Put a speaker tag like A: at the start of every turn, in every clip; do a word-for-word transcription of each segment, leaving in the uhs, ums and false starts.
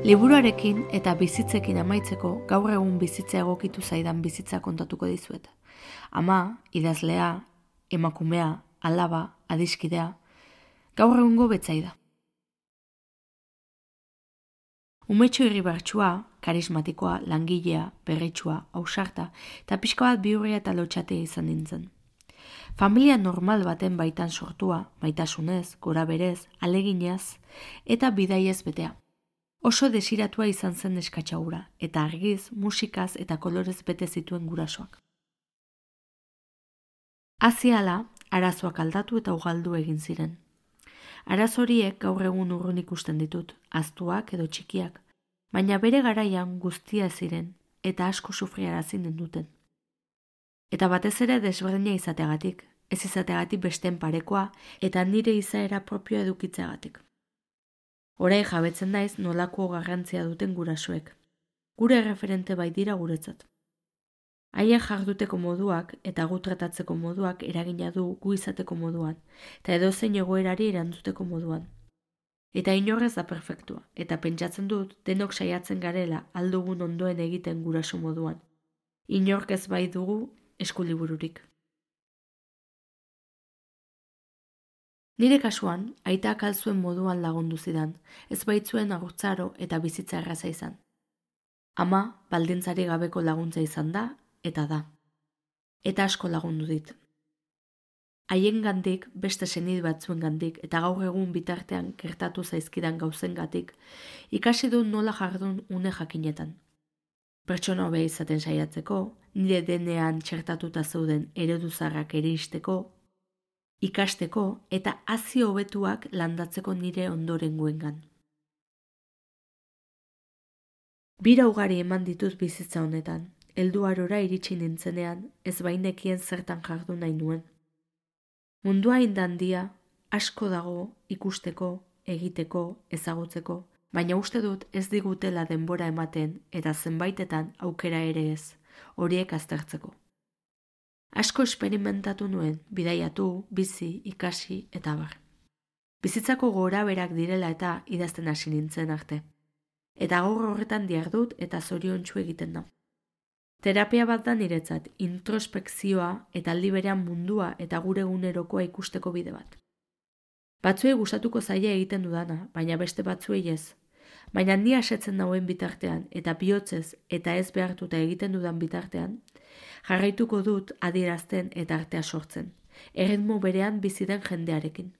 A: Liburuarekin eta bizitzekin amaitzeko gaur egun bizitza egokitu zaidan bizitza kontatuko dizuet. Ama, idazlea, emakumea, alaba, adiskidea, gaur egungo betzaida. Umetxo irribartsua, karismatikoa, langilea, berritsua, ausarta eta pixka bat bihurria eta lotxatea izan nintzen. Familia normal baten baitan sortua, maitasunez, gora berez, aleginaz eta bidaiez betea. Oso desiratua izan zen neskatxaura, eta argiz, musikaz eta kolorez bete zituen gurasoak. Aziala, arazoak aldatu eta ugaldu egin ziren. Arazo horiek gaur egun urrun ikusten ditut, ahaztuak edo txikiak, baina bere garaian guztia ziren eta asko sufriarazi ninduten. Eta batez ere desberdina izateagatik, ez izateagatik besteen parekoa eta nire izaera propioa edukitzeagatik. Orain jabetzen naiz nolako garrantzia duten gurasoek. Gure referente bai dira guretzat. Haien jarduteko moduak eta gu tratatzeko moduak eragina du gu izateko moduan, eta edozein egoerari erantzuteko moduan. Eta inorrez da perfektua, eta pentsatzen dut denok saiatzen garela aldugun ondoen egiten guraso moduan. Inork ez bai dugu eskulibururik. Nire kasuan, aitak alzuen moduan lagundu zidan, ez baitzuen agurtzaro eta bizitza erraza izan. Ama, baldintzari gabeko laguntza izan da, eta da. Eta asko lagundu dit. Haien gandik, beste senid batzuen gandik, eta gaur egun bitartean gertatu zaizkidan gauzen gatik, ikasi du nola jardun une jakinetan. Pertsona hobea izaten saiatzeko, nire denean txertatuta zeuden ereduzarrak eristeko, ikasteko eta hazi hobetuak landatzeko nire ondorengoengan. Bira ugari eman ditut bizitza honetan, helduarora iritsi nintzenean ez bainekien zertan jardun nahi nuen. Mundua indandia asko dago ikusteko, egiteko, ezagutzeko, baina uste dut ez digutela denbora ematen eta zenbaitetan aukera ere ez, horiek aztertzeko. Asko esperimentatu nuen, bidaiatu, bizi, ikasi eta abar. Bizitzako gora berak direla eta idazten hasi nintzen arte. Eta gaur horretan dihardut eta zoriontsu egiten da. Terapia bat da niretzat, introspekzioa eta aldi berean mundua eta gure egunerokoa ikusteko bide bat. Batzuei gustatuko zaila egiten dudana, baina beste batzuei ez. Baina ni asetzen dauen bitartean eta bihotzez eta ez behartuta egiten dudan bitartean, jarraituko dut adierazten eta artea sortzen, erritmo berean bizi den jendearekin.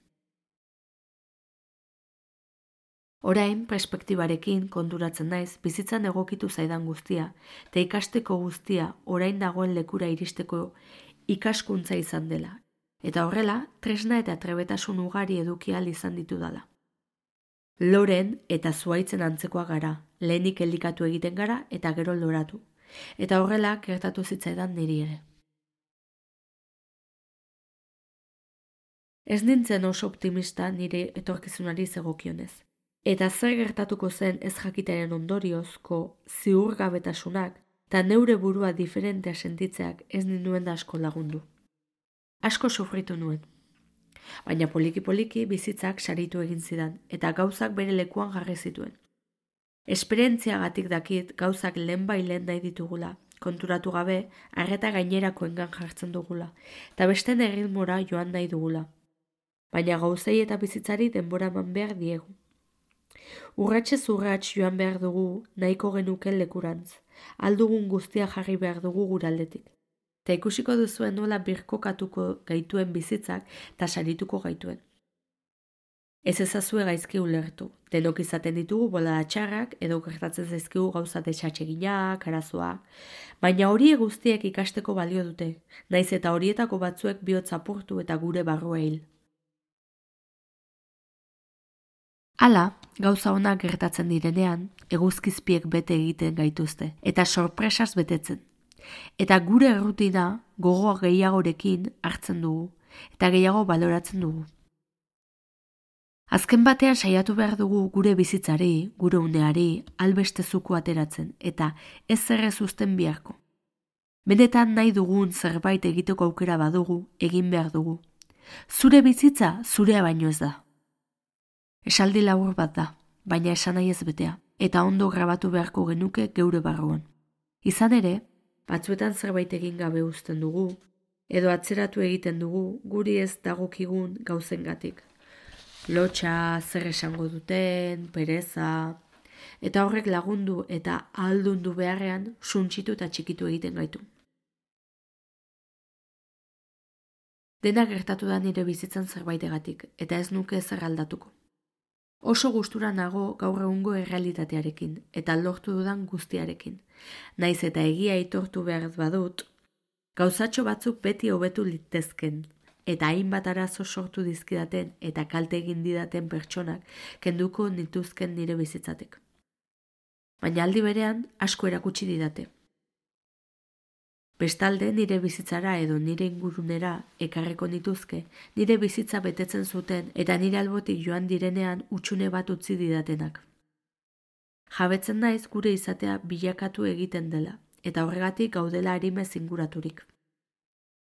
A: Orain, perspektibarekin konturatzen naiz bizitzan egokitu zaidan guztia, eta ikasteko guztia orain dagoen lekura iristeko ikaskuntza izan dela, eta horrela, tresna eta trebetasun ugari eduki ahal izan ditudala. Loren eta zuaitzen antzekoa gara, lehenik elikatu egiten gara eta gero loratu. Eta horrela gertatu zitzaidan niri ere. Ez nintzen oso optimista nire etorkizunari zegokionez. Eta zer gertatuko zen ez jakitaren ondoriozko ziurgabetasunak eta neure burua diferentea sentitzeak ez ninuen da asko lagundu. Asko sufritu nuen. Baina poliki-poliki bizitzak saritu egin zidan eta gauzak bere lekuan jarri zituen. Esperientziagatik dakit gauzak lehen bai lehen nahi ditugula, konturatu gabe, arreta gainerakoengan jartzen dugula, eta besten erritmora joan nahi dugula. Baina gauzei eta bizitzari denbora eman behar diegu. Urratxez urratx joan behar dugu nahiko genuken lekurantz, aldugun guztia jarri behar dugu guraldetik. Eta ikusiko duzuen nola birkokatuko gaituen bizitzak eta sarituko gaituen. Ez ezazue gaizki ulertu, denok izaten ditugu bolada txarrak edo gertatzen zaizkigu gauza desatseginak, arazoak, baina horiek guztiek ikasteko balio dute, naiz eta horietako batzuek bihotz apurtu eta gure barrua hil. Hala, gauza onak gertatzen direnean, eguzkizpiek bete egiten gaituzte, eta sorpresaz betetzen. Eta gure errutina gogoa gehiagorekin hartzen dugu, eta gehiago baloratzen dugu. Azken batean saiatu behar dugu gure bizitzari, gure uneari, albeste zuku ateratzen, eta ez zerrez uzten biharko. Benetan nahi dugun zerbait egiteko aukera badugu, egin behar dugu. Zure bizitza, zurea baino ez da. Esaldi labur bat da, baina esan nahi ez betea. eta ondo grabatu beharko genuke geure barruan. Izan ere, batzuetan zerbait egin gabe uzten dugu, edo atzeratu egiten dugu guri ez dagokigun gauzengatik. Lotxa, zer esango duten, pereza, eta horrek lagundu eta ahaldundu beharrean suntsitu eta txikitu egiten gaitu. Dena gertatu da nire bizitzan zerbaitegatik, eta ez nuke ezer aldatuko. Oso gustura nago gaur egungo errealitatearekin, eta lortu dudan guztiarekin. Naiz eta egia aitortu behar badut, gauzatxo batzuk beti hobetu litezken, eta hainbat arazo sortu dizkidaten eta kalte egin didaten pertsonak kenduko nituzken nire bizitzatek. Baina aldi berean asko erakutsi didate. Bestalde nire bizitzara edo nire ingurunera ekarreko nituzke, nire bizitza betetzen zuten eta nire albotik joan direnean utxune bat utzi didatenak. Jabetzen naiz gure izatea bilakatu egiten dela, eta horregatik gaudela arimez inguraturik.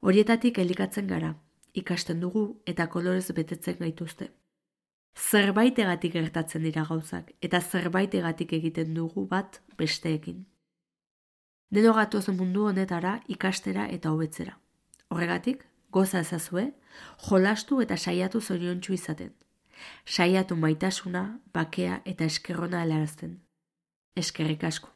A: Horietatik elikatzen gara, ikasten dugu eta kolorez betetzen gaituzte. Zerbaitegatik gertatzen dira gauzak, eta zerbaitegatik egiten dugu bat besteekin. Deno gatoz mundu honetara ikastera eta hobetzera. Horregatik, goza ezazue, jolastu eta saiatu zoriontsu izaten. Saiatu maitasuna, bakea eta eskerrona helarazten. Eskerrik asko.